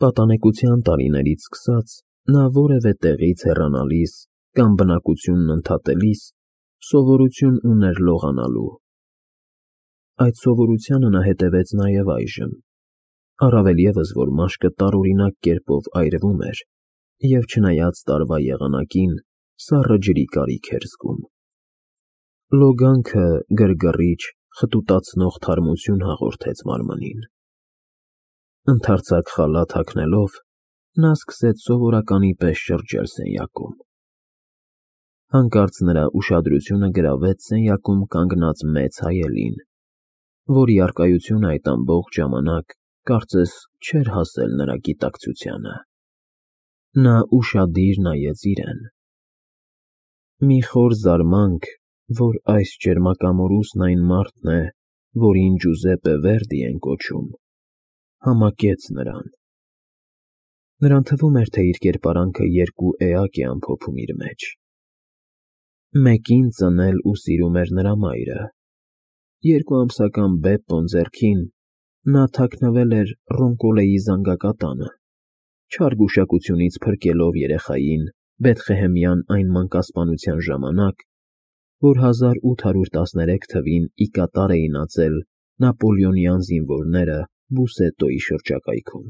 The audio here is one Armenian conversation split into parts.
Պատանեկության տարիներից սկսած նա որևէ տեղից հեռանալիս կամ բնակությունն ընդհատելիս սովորություն ուներ լողանալու։ Այդ սովորությանը նա հետևեց նաև այժմ, առավել ևս, որ մաշկը տարօրինակ կերպով այրվում էր և չնայած տարվա եղանակին սառը ջրի կարիք էր զգում։ Լոգանքը գրգռիչ, խտուտացնող թարմություն հաղորդեց մարմնին։ Ընդարձակ խալաթ հագնելով նա սկսեց սովորականի պես շրջել սենյակում։ Հանկարծ նրա ուշադրությունը գրավեց սենյակում կանգնած մեծ հայելին, որի առկայությունը այդ ամբողջ ժամանակ կարծես չէր հասել նրա գիտակցությանը։ Նա ուշադիր նայեց իրեն։ Մի խոր զարմանք, որ այս ճերմակամորուսն այն մարդն է, որին Ջուզեպպե Վերդի են կոչում, համակեց նրան։ Նրան թվում էր, թե իր կերպարանքը երկու էակ է ամփոփում իր մեջ։ Մեկին ծնել ու սիրում էր նրա մայրը։ 2 ամսական Բեպպոն ձեռքին նա թաքնվել էր Ռոնկոլեի զանգակատանը, չար գուշակությունից փրկելով երեխային Բեթղեհեմյան այն մանկասպանության ժամանակ, որ 1813 թվին ի կատար էին ածել նապոլեոնյան զինվորները Բուսետոյի շրջակայքում։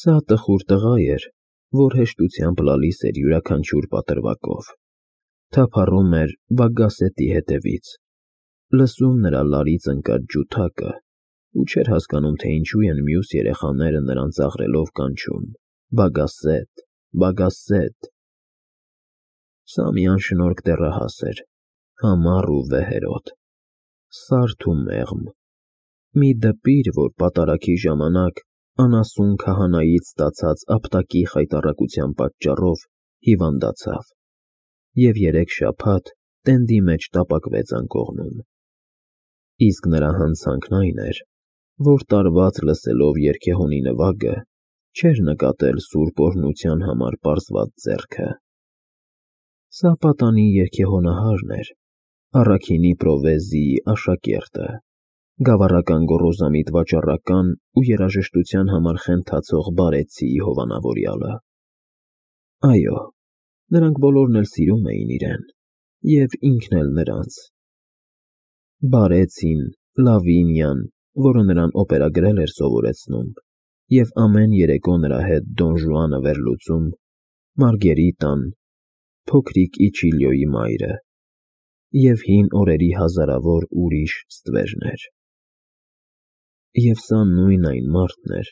Սա տխուր տղա էր, որ հեշտությամբ լալիս էր յուրաքանչյուր պատրվակով, թափառում էր Բագասետի հետևից, լսում նրա լարից ընկած ջութակը ու չէր հասկանում, թե ինչու են մյուս երեխաները նրան ծաղրելով կանչում. Բագասետ, Բագասետ։ Սա մի անշնորհք դեռահաս էր, համառ ու վեհերոտ, սարդ ու մեղմ, մի դպիր, որ պատարագի ժամանակ անասուն քահանայից ստացած ապտակի խայտառակության պատճառով հիվանդացավ և 3 շաբաթ տենդի մեջ տապակվեց անկողնում։ Իսկ նրա հանցանքն այն էր, որ տարված լսելով երգեհոնի նվագը, չէր նկատել սուրբ օրհնության համար պարզված ձեռքը։ Սա պատանի երգեհոնահարն էր, առաքինի պրովեզիայի աշակերտը, գավառական գոռոզամիտ վաճառական ու երաժշտության համար խենթացող Բարեցիի հովանավորյալը։ Այո, նրանք բոլորն էլ սիրում էին իրեն, և ինքն էլ նրանց։ Բարեցին, Լավինյան, որը նրան օպերա գրել էր սովորեցնում և ամեն երեկո նրա հետ Դոն Ժուանը վերլուծում, Մարգերիտան, փոքրիկ Իչիլիոյի մայրը և հին օրերի հազարավոր ուրիշ ստվերներ։ Եվ սա նույն այն մարդն էր,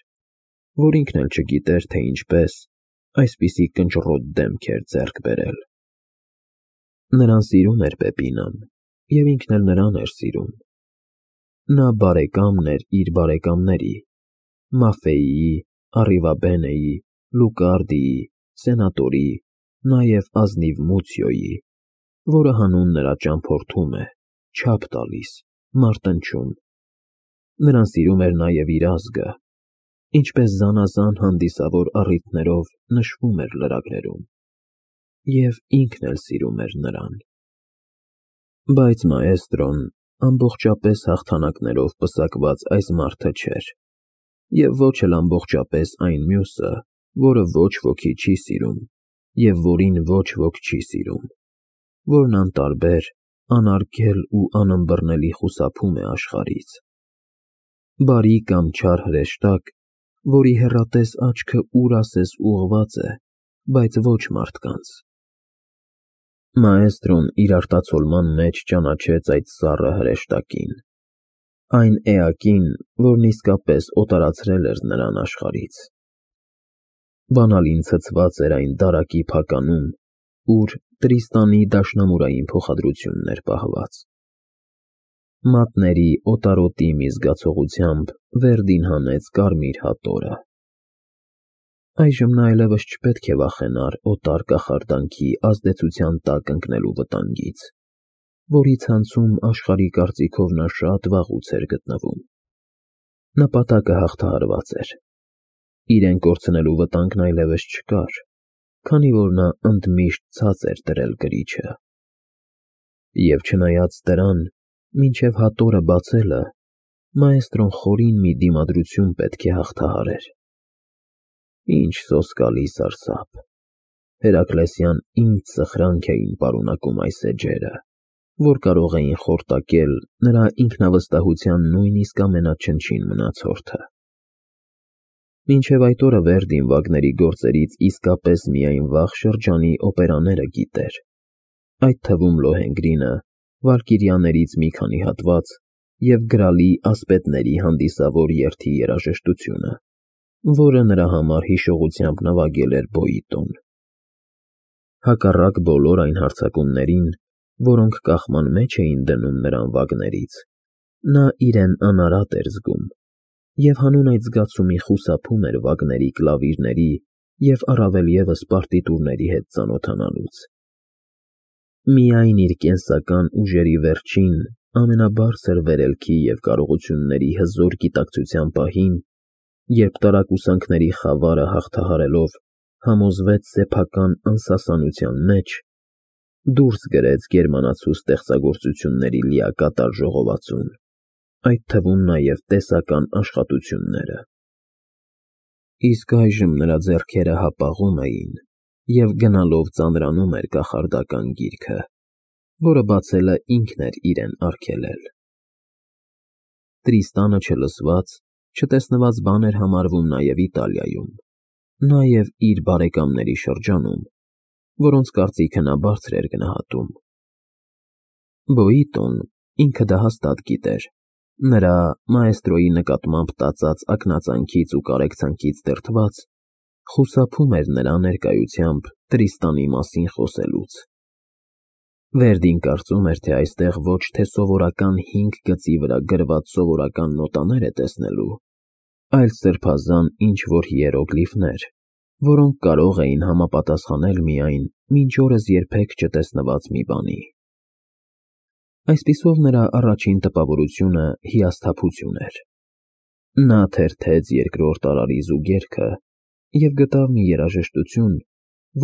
որ ինքն էլ չգիտեր, թե ինչպես այսպիսի կնճռոտ դեմք էր ձեռք բերել։ Նրան սիրում էր Պեպինան, և ինքն էլ նրան էր սիրում։ Նա բարեկամն էր իր բարեկամների՝ Մաֆեիի, Առիվաբենեի, Լուկարդիի, Սենատորի, նաև ազնիվ Մուցիոյի, որը հանուն նրա ճամփորդում է, չափ տալիս, մարտնչում։ Նրան սիրում էր նաև իր ազգը, ինչպես զանազան հանդիսավոր առիթներով նշվում էր լրագրերում, և ինքն էլ սիրում էր նրան։ Բայց մաեստրոն ամբողջապես հաղթանակներով պսակված այս մարդը չէր, և ոչ էլ ամբողջապես այն մյուսը, որը ոչ ոքի չի սիրում և որին ոչ ոք չի սիրում, որն անտարբեր, անարգել ու անըմբռնելի խուսափում է աշխարհից։ Բարի կամ չար հրեշտակ, որի հեռատես աչքը ուր ասես ուղղված է, բայց ոչ մարդկանց։ Մաեստրոն իր արտացոլման մեջ ճանաչեց այդ սառը հրեշտակին, այն էակին, որն իսկապես օտարացրել էր նրան աշխարհից։ Բանալին ցցված էր այն դարակի փականում, ուր Տրիստանի դաշնամուրային փոխադրությունն էր պահված։ Մատների օտարոտի մի զգացողությամբ Վերդին հանեց կարմիր հատորը։ Այժմ նա այլևս չպետք է վախենար օտար կախարդանքի ազդեցության տակ ընկնելու վտանգից, որի ցանցում աշխարհի կարծիքով նա շատ վաղուց էր գտնվում։ Նպատակը հաղթահարված էր։ Իրեն կորցնելու վտանգն այլևս չկար, քանի որ նա ընդմիշտ ցած էր դրել կրիչը։ Եվ չնայած դրան, մինչև հատորը բացելը, մաեստրոն խորին մի դիմադրություն պետք է հաղթահարեր։ Ինչ սոսկալի սարսափ։ Հերակլեսյան ինձ սխրանք էին պարունակում այս էջերը, որ կարող էին խորտակել նրա ինքնավստահության նույնիսկ ամենաչնչին մնացորդը։ Մինչև այդ օրը Վերդին Վագների գործերից իսկապես միայն վաղ շրջանի օպերաները գիտեր, այդ թվում Լոհենգրինը, Վալկիրիաներից մի քանի հատված և գրալի ասպետների հանդիսավոր երթի երաժշտությունը, որը նրա համար հիշողությամբ նվագել էր Բոյիտոն։ Հակառակ բոլոր այն հարձակումներին, որոնք կախման մեջ էին դնում նրան Վագներից, նա իրեն անարատ էր զգում, և հանուն այդ զգացումի խուսափում էր Վագների կլավիրների և առավել ևս պարտիտուրների հետ ծանոթանալուց։ Միայն իր կենսական ուժերի վերջին, ամենաբարձր վերելքի և կարողությունների հզոր գիտակցության պահին, երբ տարակուսանքների խավարը հաղթահարելով համոզվեց սեփական անսասանության մեջ, դուրս գրեց գերմանացու ստեղծագործությունների լիակատար ժողովածուն, այդ թվում նաև տեսական աշխատությունները։ Իսկ այժմ նրա ձեռքերը հապաղում էին, և գնալով ծանրանում էր կախարդական գիրքը, որը բացելը ինքն էր իրեն արգելել։ Տրիստանը չլսված, չտեսնված բան էր համարվում նաև Իտալիայում, նաև իր բարեկամների շրջանում, որոնց կարծիքը նա բարձր էր գնահատում։ Բոյիտոն, ինքը դա հաստատ գիտեր, նրա մաեստրոյի նկատմամբ տածած ակնածանքից ու կարեկցանքից դրդված, խուսափում էր նրա ներկայությամբ Տրիստանի մասին խոսելուց։ Վերդին կարծում էր, թե այստեղ ոչ թե սովորական 5 գծի վրա գրված սովորական նոտաներ է տեսնելու, այլ սրբազան ինչ-որ հիերոգլիֆներ, որոնք կարող էին համապատասխանել միայն մինչ օրս երբեք չտեսնված մի բանի։ Այսպիսով նրա առաջին տպավորությունը հիասթափություն էր։ Նա թերթեց երկրորդ արարի զուգերքը և գտավ մի երաժշտություն,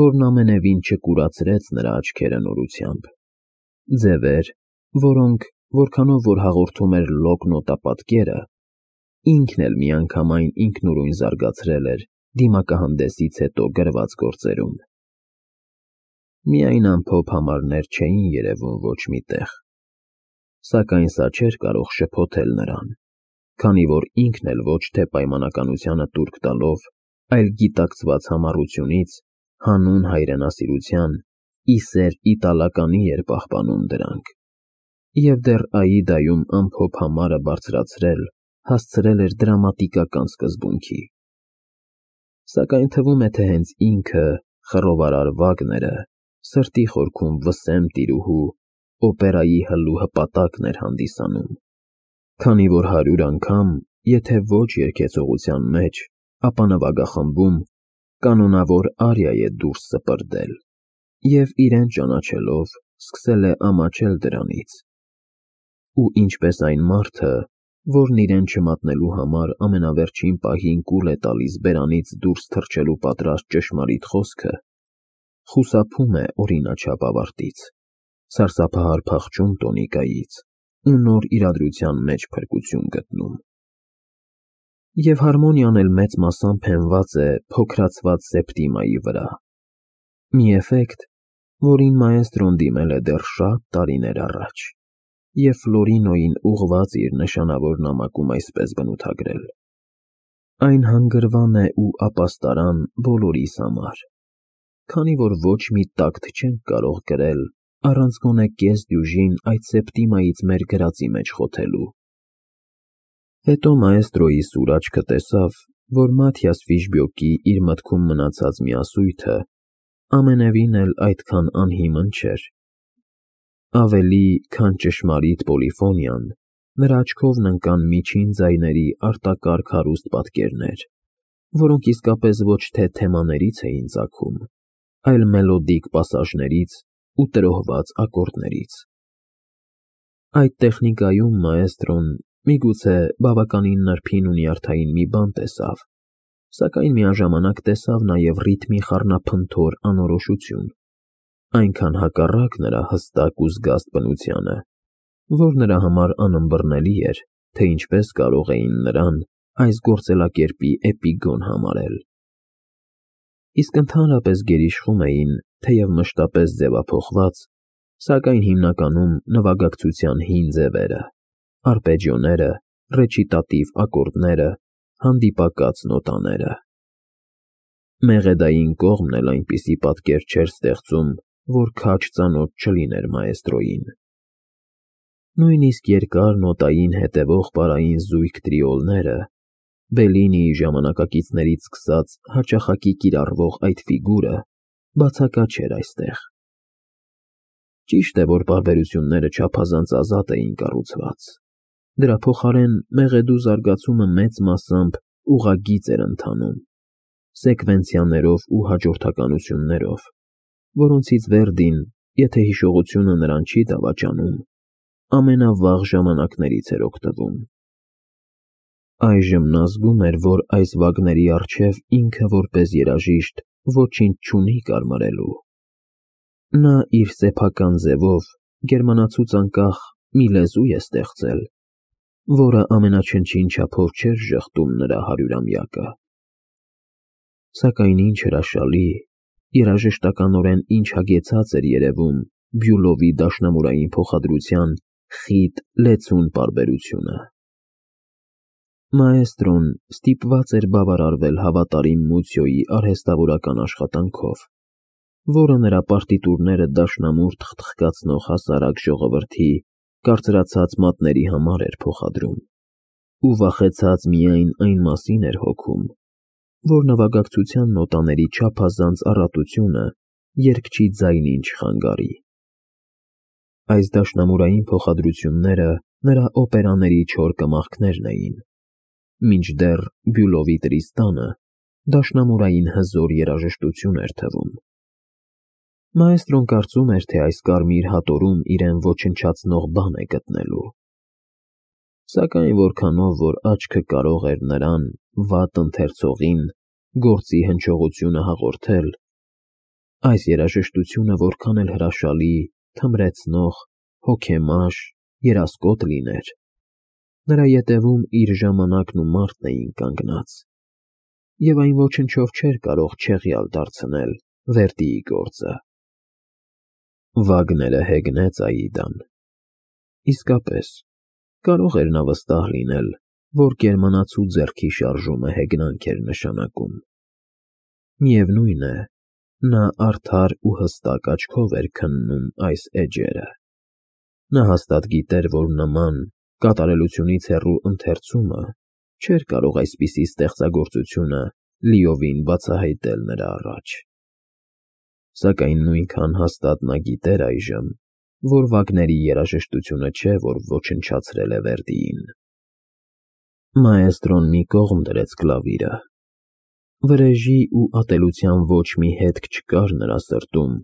որն ամենևին չկուրացրեց նրա աչքերը նորությամբ։ Ձևեր, որոնք, որքանով որ հաղորդում էր լոկ նոտապատկերը, ինքն էլ միանգամայն ինքնուրույն զարգացրել էր դիմակահանդեսից հետո գրված գործերում։ Միայն ամփոփ համարներ չէին երևում ոչ մի տեղ, սակայն սա չէր կարող շփոթել նրան, քանի որ ինքն էլ ոչ թե պայմանականությանը տուրք տալով, այլ գիտակցված համառությունից, հանուն հայրենասիրության, ի սեր իտալականի էր պահպանում դրանք, և դեռ Աիդայում ամփոփ համարը բարձրացրել հասցրել էր դրամատիկական սկզբունքի։ Սակայն թվում է, թե հենց ինքը, խռովարար Վագները, սրտի խորքում վսեմ տիրուհու, օպերայի հլու հպատակն էր հանդիսանում, քանի որ 100 անգամ, եթե ոչ երգեցողության մեջ, ապա նվագախմբում, կանոնավոր արիա է դուրս սպրդել, և իրեն ճանաչելով, սկսել է ամաչել դրանից։ Ու ինչպես այն մարդը, որն իրեն չմատնելու համար ամենավերջին պահին կուլ է տալիս բերանից դուրս թռչելու պատրաստ ճշմարիտ խոսքը, խուսափում է օրինաչափ ավարտից, սարսափահար փախչում տոնիկայից ու նոր իրադրության մեջ փրկություն գտնում։ Եվ հարմոնիան էլ մեծ մասամբ հենված է փոքրացված Սեպտիմայի վրա, մի էֆեկտ, որին մաեստրոն դիմել է դեռ շատ տարիներ առաջ, և Ֆլորինոյին ուղղված իր նշանավոր նամակում այսպես բնութագրել. այն հանգրվան է ու ապաստարան բոլորիս համար, քանի որ ոչ մի տակտ չենք կարող կրել առանց գոնե կես դյուժին այդ Սեպտիմայից մեր գրածի մեջ խոթելու։ Հետո մաեստրոյի սուր աչքը տեսավ, որ Մաթիաս Ֆիշբյոկի իր մտքում մնացած միասույթը ամենևին էլ այդքան անհիմն չէր։ Ավելի, քան ճշմարիտ պոլիֆոնիան, նրա աչքովն ընկան միջին ձայների արտակարգ հարուստ պատկերներ, որոնք իսկապես ոչ թե թեմաներից էին ծագում, այլ մելոդիկ պասաժներից ու տրոհված ակորդներից։ Այդ տեխնիկայում մաեստրոն, միգուցե բավականին նրբին ու նյարդային մի բան տեսավ, սակայն միաժամանակ տեսավ նաև ռիթմի խառնափնթոր անորոշություն, այնքան հակառակ նրա հստակ ու զգաստ բնությանը, որ նրա համար անըմբռնելի էր, թե ինչպես կարող էին նրան այս գործելակերպի էպիգոն համարել։ իսկ ընդհանրապես գերիշխում էին, թեև մշտապես ձևափոխված, սակայն հիմնականում նվագակցության հին ձևերը, արպեջիոները, ռեչիտատիվ ակորդները, հանդիպակաց նոտաները։ Մեղեդային կողմն էլ այնպիսի պատկեր չէր ստեղծում, որ քաջ ծանոթ չլիներ մաեստրոյին։ Նույնիսկ երկար նոտային հետևող պարային զույգ տրիոլները, Բելինիի ժամանակակիցներից սկսած հաճախակի կիրառվող այդ ֆիգուրը բացակա չէր այստեղ։ Ճիշտ է, որ պարբերությունները չափազանց ազատ էին կառուցված։ Դրա փոխարեն մեղեդու զարգացումը մեծ մասամբ ուղղագիծ էր ընթանում, սեկվենցիաներով ու հաջորդականություններով, որոնցից Վերդին, եթե հիշողությունը նրան չի դավաճանում, ամենավաղ ժամանակներից էր օգտվում։ Այժմ նա զգում էր, որ այս վագների առջև ինքը որպես երաժիշտ ոչինչ չունի կարմարելու։ Նա իր սեփական ձևով գերմանացուց անկախ մի լեզու է ստեղծել, որը ամենաչնչին չափով չէր ժխտում նրա 100-ամյակը։ Սակայն ինչ հրաշալի, երաժշտականորեն ինչ հագեցած էր երևում Բյուլովի դաշնամուրային փոխադրության խիտ, լեցուն պարբերությունը։ Մաեստրոն ստիպված էր բավարարվել հավատարիմ Մուցիոյի արհեստավորական աշխատանքով, որը նրա պարտիտուրները դաշնամուր թխթխկացնող հասարակ ժողովրդի կարծրացած մատների համար էր փոխադրում, ու վախեցած միայն այն մասին էր հոգում, որ նվագակցության նոտաների չափազանց առատությունը երգչի ձայնին չխանգարի։ Այս դաշնամուրային փոխադրությունները նրա օպերաների չոր կմախքներն էին, մինչդեռ Բյուլովի Տրիստանը դաշնամուրային հզոր երաժշտություն էր թվում։ Մաեստրոն կարծում էր, թե այս կարմիր հատորում իրեն ոչնչացնող բան է գտնելու։ Սակայն որքանով որ աչքը կարող էր նրան, վատ ընթերցողին, գործի հնչողությունը հաղորդել, այս երաժշտությունը որքան էլ հրաշալի, թմրեցնող, հոգեմաշ, երասկոտ լիներ, նրա ետևում իր ժամանակն ու մարդն էին կանգնած, և այն ոչնչով չէր կարող չեղյալ դարձնել Վերդիի գործը։ Վագները հեգնեց Աիդան։ Իսկապես, կարող էր նա վստահ լինել, որ գերմանացու ձեռքի շարժումը հեգնանք էր նշանակում։ Միևնույն է, նա արդար ու հստակ աչքով էր քննում այս էջերը։ Նա հաստատ գիտեր, որ նման կատարելությունից հեռու ընթերցումը չէր կարող այսպիսի ստեղծագործությունը լիովին բացահայտել նրա առաջ։ Սակայն նույնքան հաստատ նա գիտեր այժմ, որ Վագների երաժշտությունը չէ, որ ոչնչացրել է Վերդիին։ Մաեստրոն մի կողմ դրեց կլավիրը։ Վրեժի ու ատելության ոչ մի հետք չկար նրա սրտում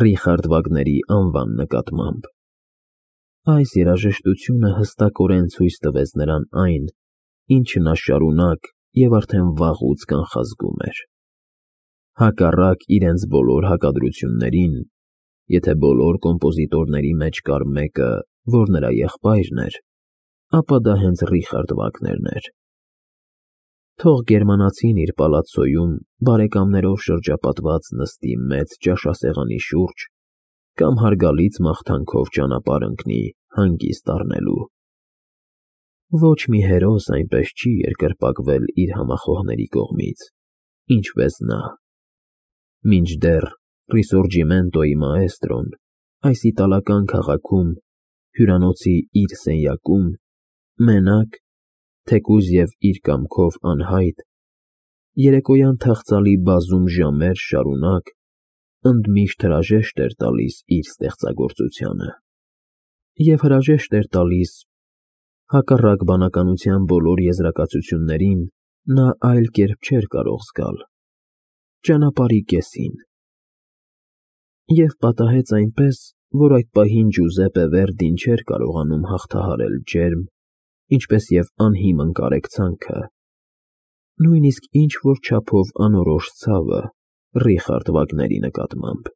Ռիխարդ Վագների անվան նկատմամբ։ Այս երաժշտությունը հստակորեն ցույց տվեց նրան այն, ինչը նա շարունակ և արդեն վաղուց կանխազգում էր։ Հակառակ իրենց բոլոր հակադրություններին, եթե բոլոր կոմպոզիտորների մեջ կար մեկը, որ նրա եղբայրն էր, ապա դա հենց Ռիխարդ Վագներն էր։ Թող գերմանացին իր պալացցոյում բարեկամներով շրջապատված նստի մեծ ճաշասեղանի շուրջ կամ հարգալից մաղթանքով ճանապարհ ընկնի հանգիստ առնելու։ Ոչ մի հերոս այնպես չի երկրպագվել իր համախոհների կողմից, ինչպես նա։ Մինչդեռ Ռիսորջիմենտոյի մաեստրոն այս իտալական քաղաքում, հյուրանոցի իր սենյակում, մենակ, թեկուզ և իր կամքով անհայտ, երեկոյան թախծալի բազում ժամեր շարունակ ընդմիշտ հրաժեշտ էր տալիս իր ստեղծագործությանը։ Եվ հրաժեշտ էր տալիս, հակառակ բանականության բոլոր եզրակացություններին, նա այլ կերպ չէր կարող զգալ, ճանապարհի կեսին։ Եվ պատահեց այնպես, որ այդ պահին Ջուզեպպե Վերդին չէր կարողանում հաղթահարել ջերմ, ինչպես և անհիմն կարեկցանքը, նույնիսկ ինչ-որ չափով անորոշ ցավը Ռիխարդ Վագների նկատմամբ։